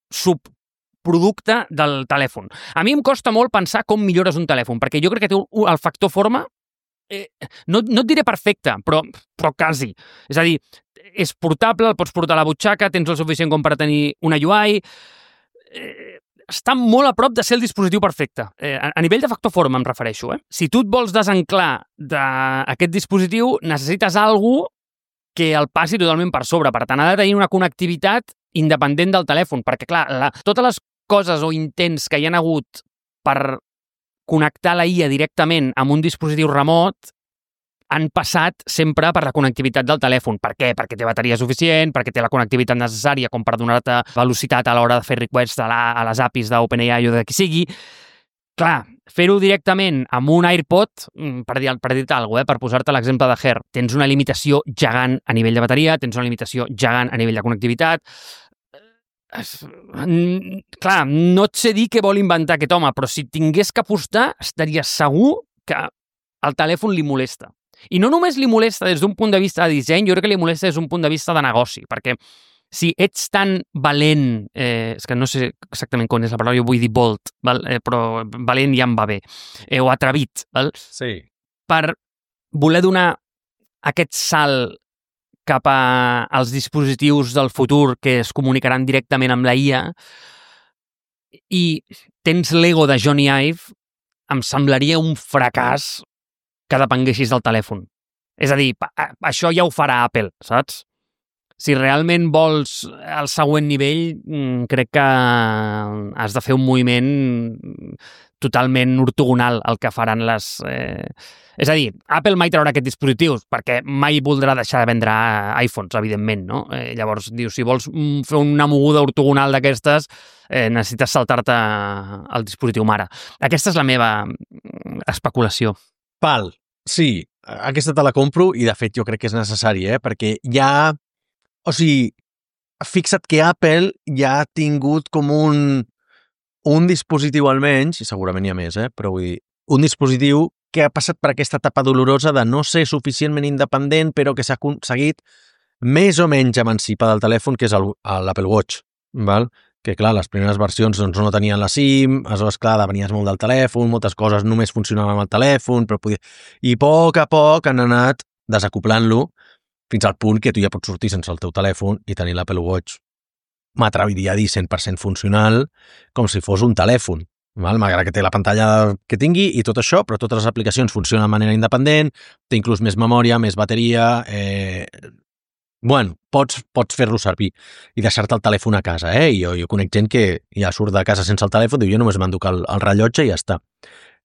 subproducte del telèfon. A mi em costa molt pensar com millores un telèfon, perquè jo crec que té el factor forma, no et diré perfecte, però quasi. És a dir, és portable, el pots portar a la butxaca, tens el suficient com per tenir una UI... està molt a prop de ser el dispositiu perfecte. A nivell de factor forma em refereixo. Si tu et vols desenclar d'aquest dispositiu, necessites algú que el passi totalment per sobre. Per tant, ha de tenir una connectivitat independent del telèfon, perquè, clar, totes les coses o intents que hi ha hagut per connectar la IA directament amb un dispositiu remot han passat sempre per la connectivitat del telèfon. Per què? Perquè té bateria suficient, perquè té la connectivitat necessària com per donar-te velocitat a l'hora de fer requests a les APIs d'OpenAI o de qui sigui. Clar, fer-ho directament amb un AirPod, per dir-te alguna cosa, per posar-te l'exemple de Her, tens una limitació gegant a nivell de bateria, tens una limitació gegant a nivell de connectivitat. Clar, no et sé dir què vol inventar aquest home, però si tingués que apostar, estaria segur que el telèfon li molesta. I no només li molesta des d'un punt de vista de disseny, jo crec que li molesta des d'un punt de vista de negoci, perquè si ets tan valent, és que no sé exactament com és la paraula, jo vull dir bold, val? Però valent ja em va bé, o atrevit, val? Sí. Per voler donar aquest salt cap als dispositius del futur que es comunicaran directament amb la IA i tens l'ego de Johnny Ive, em semblaria un fracàs que depenguessis del telèfon. És a dir, això ja ho farà Apple, saps? Si realment vols el següent nivell, crec que has de fer un moviment totalment ortogonal al que faran les... És a dir, Apple mai traurà aquests dispositius perquè mai voldrà deixar de vendre iPhones, evidentment, no? Llavors, dius, si vols fer una moguda ortogonal d'aquestes, necessites saltar-te el dispositiu mare. Aquesta és la meva especulació. Val, sí, aquesta te la compro i de fet jo crec que és necessari, perquè ja... O sigui, fixa't que Apple ja ha tingut com un dispositiu almenys, i segurament hi ha més, però vull dir, un dispositiu que ha passat per aquesta etapa dolorosa de no ser suficientment independent, però que s'ha aconseguit més o menys emancipar del telèfon, que és l'Apple Watch, val? Que clar, les primeres versions doncs, no tenien la SIM, aleshores clar, depenies molt del telèfon, moltes coses només funcionaven amb el telèfon, però i a poc han anat desacoplant-lo fins al punt que tu ja pots sortir sense el teu telèfon i tenir l'Apple Watch, m'atreviria a dir 100% funcional, com si fos un telèfon, val? Malgrat que té la pantalla que tingui i tot això, però totes les aplicacions funcionen de manera independent, té inclús més memòria, més bateria... Bueno, pots fer-lo servir i deixar-te el telèfon a casa, I jo conec gent que ja surt de casa sense el telèfon, diu, jo només m'enduc el rellotge i ja està.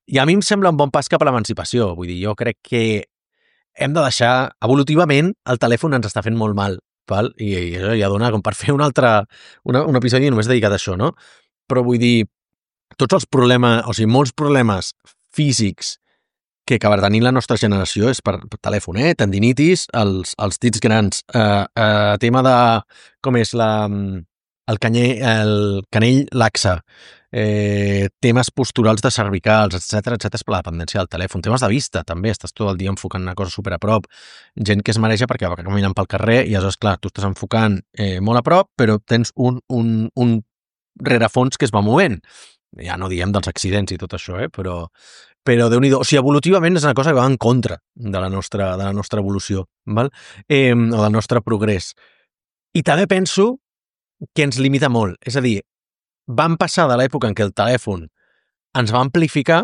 I a mi em sembla un bon pas cap a l'emancipació, vull dir, jo crec que hem de deixar, evolutivament, el telèfon ens està fent molt mal, val? I això ja dona com per fer un episodi només dedicat a això, no? Però vull dir, tots els problemes, o sigui, molts problemes físics que acaba tenint la nostra generació és per telèfon, tendinitis, els dits grans, tema de, com és el canell laxe, temes posturals de cervicals, etc és per la dependència del telèfon, temes de vista també, estàs tot el dia enfocant una cosa super a prop, gent que es mareja perquè va caminant pel carrer i aleshores, clar, tu estàs enfocant molt a prop, però tens un rerefons que es va movent. Ja no diem dels accidents i tot això, però Déu-n'hi-do, o sigui, evolutivament és una cosa que va en contra de la nostra evolució, val? O del nostre progrés. I també penso que ens limita molt, és a dir, vam passar de l'època en què el telèfon ens va amplificar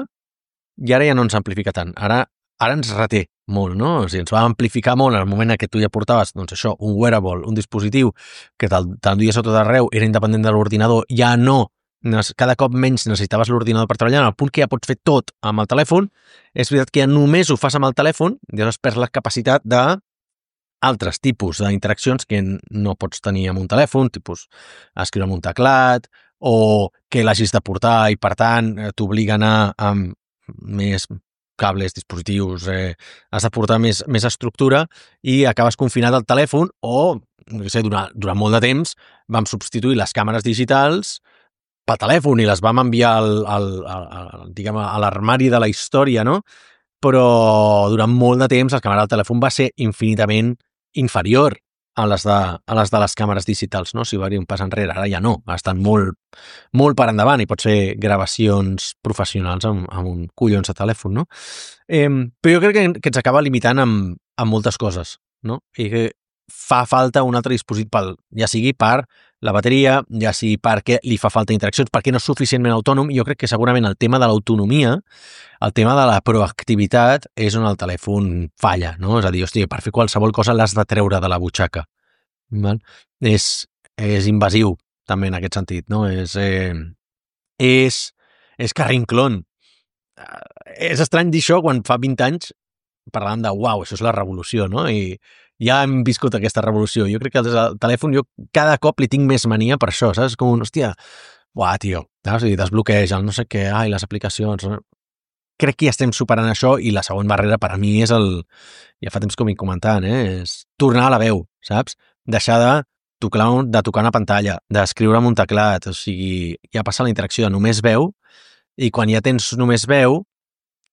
i ara ja no ens amplifica tant, ara ens reté molt, no? O sigui, ens va amplificar molt en el moment en què tu ja portaves, doncs això, un wearable, un dispositiu que t'enduies a tot arreu, era independent de l'ordinador, ja no, cada cop menys necessitaves l'ordinador per treballar, al punt que ja pots fer tot amb el telèfon, és veritat que ja només ho fas amb el telèfon i llavors perds la capacitat d'altres tipus d'interaccions que no pots tenir amb un telèfon, tipus escriure amb un teclat, o que l'hagis de portar i, per tant, t'obliga a anar amb més cables, dispositius, has de portar més estructura i acabes confinat al telèfon o, no sé, durant molt de temps vam substituir les càmeres digitals pel telèfon i les vam enviar diguem, a l'armari de la història, no? Però durant molt de temps la càmera del telèfon va ser infinitament inferior a les de les càmeres digitals, no? Si va dir un pas enrere, ara ja no, estan molt, molt per endavant i pots fer gravacions professionals amb un collons de telèfon, no? Però jo crec que ens acaba limitant amb moltes coses, no? I que fa falta un altre dispositiu, ja sigui per la bateria, ja sigui perquè li fa falta interaccions, perquè no és suficientment autònom. Jo crec que segurament el tema de l'autonomia, el tema de la proactivitat és on el telèfon falla, no? És a dir, hòstia, per fer qualsevol cosa l'has de treure de la butxaca. Val? És invasiu, també, en aquest sentit, no? És carrinclon. És estrany dir això quan fa 20 anys parlàvem de, uau, això és la revolució, no? I ja hem viscut aquesta revolució. Jo crec que el telèfon, jo cada cop li tinc més mania per això, saps? Com un, hòstia, uah, tio, saps? I desbloqueja el no sé què, ai, les aplicacions... Crec que ja estem superant això i la següent barrera per a mi és ja fa temps que ho vinc comentant, és tornar a la veu, saps? Deixar de tocar una pantalla, d'escriure amb un teclat, o sigui, ja passa la interacció de només veu i quan ja tens només veu,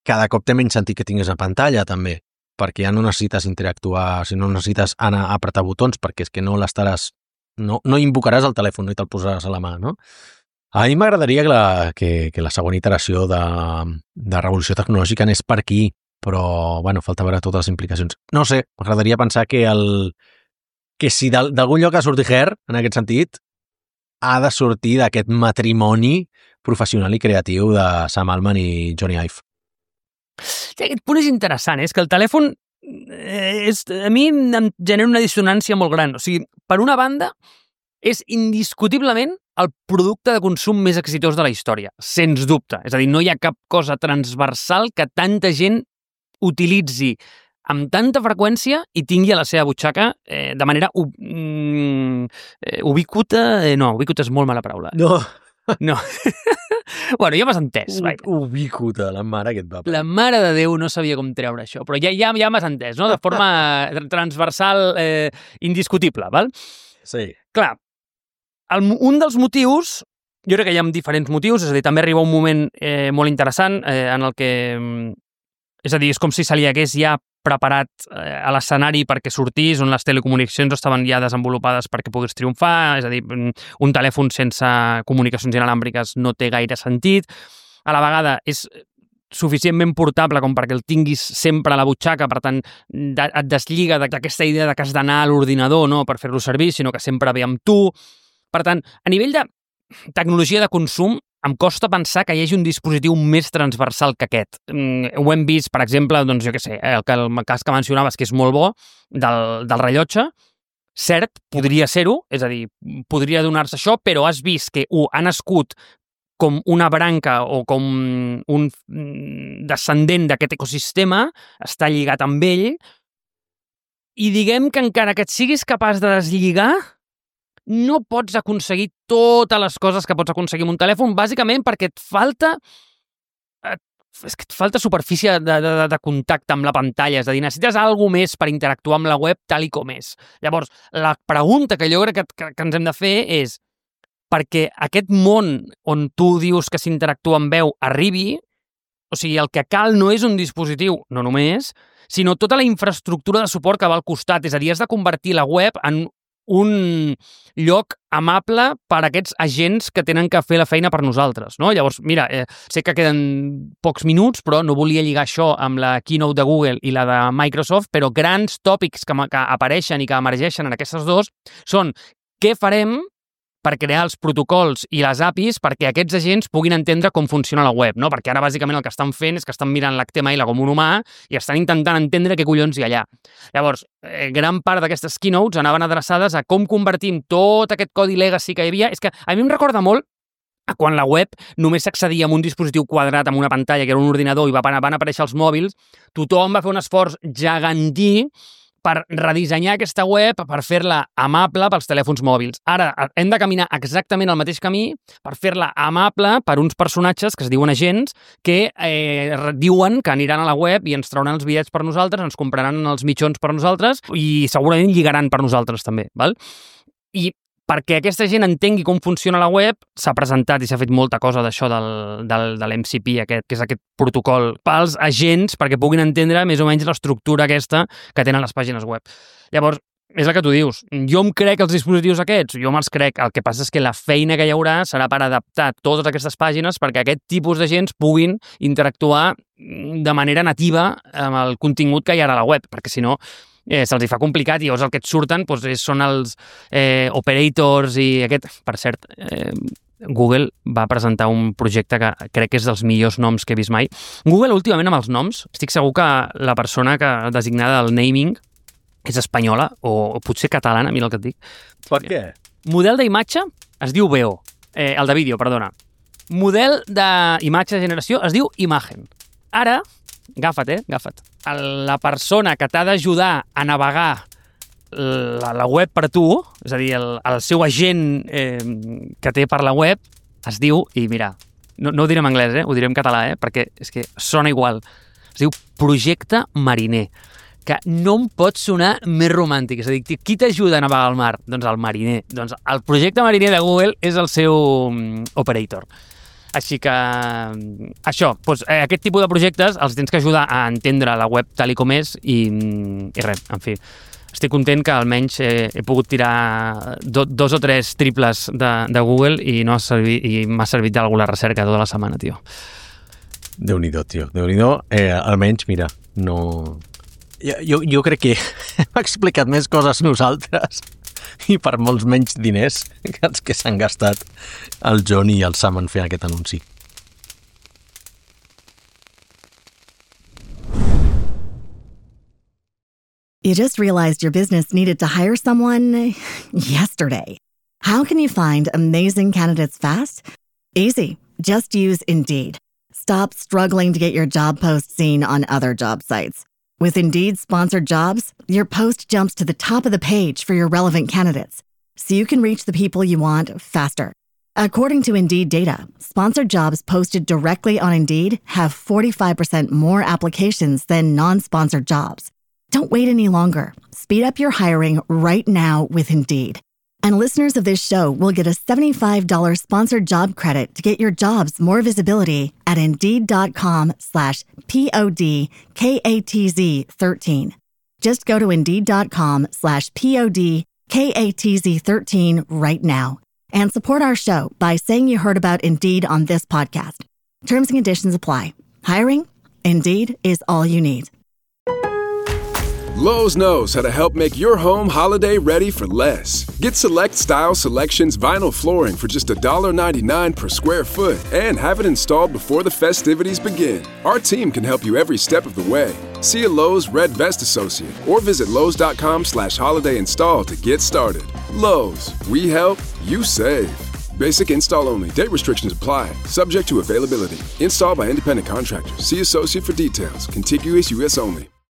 cada cop té menys sentit que tinguis a pantalla, també, perquè ja no necessites interactuar, o sigui, no necessites anar a apretar botons, perquè és que no l'estaràs... No invocaràs el telèfon, no te'l posaràs a la mà, no? A mi m'agradaria que la següent iteració de revolució tecnològica anés per aquí, però, bueno, falta veure totes les implicacions. No sé, m'agradaria pensar que si d'algun lloc ha sortit Her, en aquest sentit, ha de sortir d'aquest matrimoni professional i creatiu de Sam Altman i Johnny Ive. Sí, aquest punt és interessant, és que el telèfon a mi em genera una dissonància molt gran. O sigui, per una banda, és indiscutiblement el producte de consum més exitós de la història, sens dubte. És a dir, no hi ha cap cosa transversal que tanta gent utilitzi amb tanta freqüència i tingui a la seva butxaca de manera ubíquota... No, ubíquota és molt mala paraula. No. Bueno, ja m'has entès. Ubíquota, la mare que et va. La mare de Déu no sabia com treure això, però ja m'has entès, no? De forma transversal indiscutible, val? Sí. Clar, un dels motius, jo crec que hi ha diferents motius, és a dir, també arriba un moment molt interessant en el que, és a dir, és com si se li hagués ja preparat a l'escenari perquè sortís, on les telecomunicacions estaven ja desenvolupades perquè pogués triomfar, és a dir, un telèfon sense comunicacions inalàmbriques no té gaire sentit, a la vegada és suficientment portable com perquè el tinguis sempre a la butxaca, per tant, et deslliga d'aquesta idea de que has d'anar a l'ordinador, no?, per fer-lo servir, sinó que sempre ve amb tu. Per tant, a nivell de tecnologia de consum, em costa pensar que hi hagi un dispositiu més transversal que aquest. Ho hem vist, per exemple, doncs jo què sé, el cas que mencionaves, que és molt bo, del rellotge. Cert, podria ser-ho, és a dir, podria donar-se això, però has vist que ha nascut com una branca o com un descendent d'aquest ecosistema, està lligat amb ell, i diguem que encara que et siguis capaç de deslligar, no pots aconseguir totes les coses que pots aconseguir amb un telèfon, bàsicament perquè et falta superfície de contacte amb la pantalla, és a dir, necessites alguna més per interactuar amb la web tal i com és. Llavors, la pregunta que jo crec que ens hem de fer és, perquè aquest món on tu dius que s'interactua amb veu arribi, o sigui, el que cal no és un dispositiu, no només, sinó tota la infraestructura de suport que va al costat, és a dir, has de convertir la web en un lloc amable per a aquests agents que tenen que fer la feina per nosaltres, no? Llavors, mira, sé que queden pocs minuts, però no volia lligar això amb la keynote de Google i la de Microsoft, però grans tòpics que apareixen i que emergeixen en aquestes dos són què farem per crear els protocols i les APIs perquè aquests agents puguin entendre com funciona la web, no? Perquè ara bàsicament el que estan fent és que estan mirant l'HTML com un humà i estan intentant entendre què collons hi ha allà. Llavors, gran part d'aquestes keynotes anaven adreçades a com convertim tot aquest codi legacy que hi havia. És que a mi em recorda molt a quan la web només s'accedia amb un dispositiu quadrat amb una pantalla que era un ordinador i van aparèixer els mòbils, tothom va fer un esforç gegantí per redissenyar aquesta web, per fer-la amable pels telèfons mòbils. Ara hem de caminar exactament el mateix camí per fer-la amable per uns personatges que es diuen agents que diuen que aniran a la web i ens trauran els bitllets per nosaltres, ens compraran els mitjons per nosaltres i segurament lligaran per nosaltres també, val? I perquè aquesta gent entengui com funciona la web, s'ha presentat i s'ha fet molta cosa d'això de l'MCP, aquest, que és aquest protocol pels agents perquè puguin entendre més o menys l'estructura aquesta que tenen les pàgines web. Llavors, és el que tu dius. Jo em crec els dispositius aquests, jo me'ls crec. El que passa és que la feina que hi haurà serà per adaptar totes aquestes pàgines perquè aquest tipus d'agents puguin interactuar de manera nativa amb el contingut que hi ha a la web, perquè si no se'ls hi fa complicat i llavors el que et surten són els operators i aquest... Per cert, Google va presentar un projecte que crec que és dels millors noms que he vist mai. Google últimament amb els noms, estic segur que la persona que designada el naming és espanyola o potser catalana, mira el que et dic. Per què? Model d'imatge es diu VEO, el de vídeo, perdona. Model d'imatge de generació es diu Imagen. Ara, agafa't. la persona que t'ha d'ajudar a navegar la web per tu, és a dir, el seu agent que té per la web, es diu, i mira, no ho diré en anglès, ho diré en català, perquè és que sona igual. Es diu Projecte Mariner, que no em pot sonar més romàntic. És a dir, qui t'ajuda a navegar al mar? Doncs el mariner. Doncs el Projecte Mariner de Google és el seu operator. Així que això, doncs, aquest tipus de projectes els tens que ajudar a entendre la web tal com és i res, en fi. Estic content que almenys he pogut tirar 2 o 3 triples de Google i m'ha servit d'alguna recerca tota la setmana, tio. Déu-n'hi-do, tio. Déu-n'hi-do. Almenys, mira, no... Jo crec que hem explicat més coses nosaltres i per molts menys diners que els que s'han gastat el John i el Sam en fer aquest anunci. You just realized your business needed to hire someone yesterday. How can you find amazing candidates fast? Easy. Just use Indeed. Stop struggling to get your job post seen on other job sites. With Indeed sponsored jobs, your post jumps to the top of the page for your relevant candidates, so you can reach the people you want faster. According to Indeed data, sponsored jobs posted directly on Indeed have 45% more applications than non-sponsored jobs. Don't wait any longer. Speed up your hiring right now with Indeed. And listeners of this show will get a $75 sponsored job credit to get your jobs more visibility at Indeed.com/PODKATZ13. Just go to Indeed.com/PODKATZ13 right now and support our show by saying you heard about Indeed on this podcast. Terms and conditions apply. Hiring? Indeed is all you need. Lowe's knows how to help make your home holiday ready for less. Get Select Style Selections vinyl flooring for just $1.99 per square foot and have it installed before the festivities begin. Our team can help you every step of the way. See a Lowe's Red Vest associate or visit Lowe's.com/holiday install to get started. Lowe's, we help, you save. Basic install only. Date restrictions apply. Subject to availability. Installed by independent contractors. See associate for details. Contiguous U.S. only.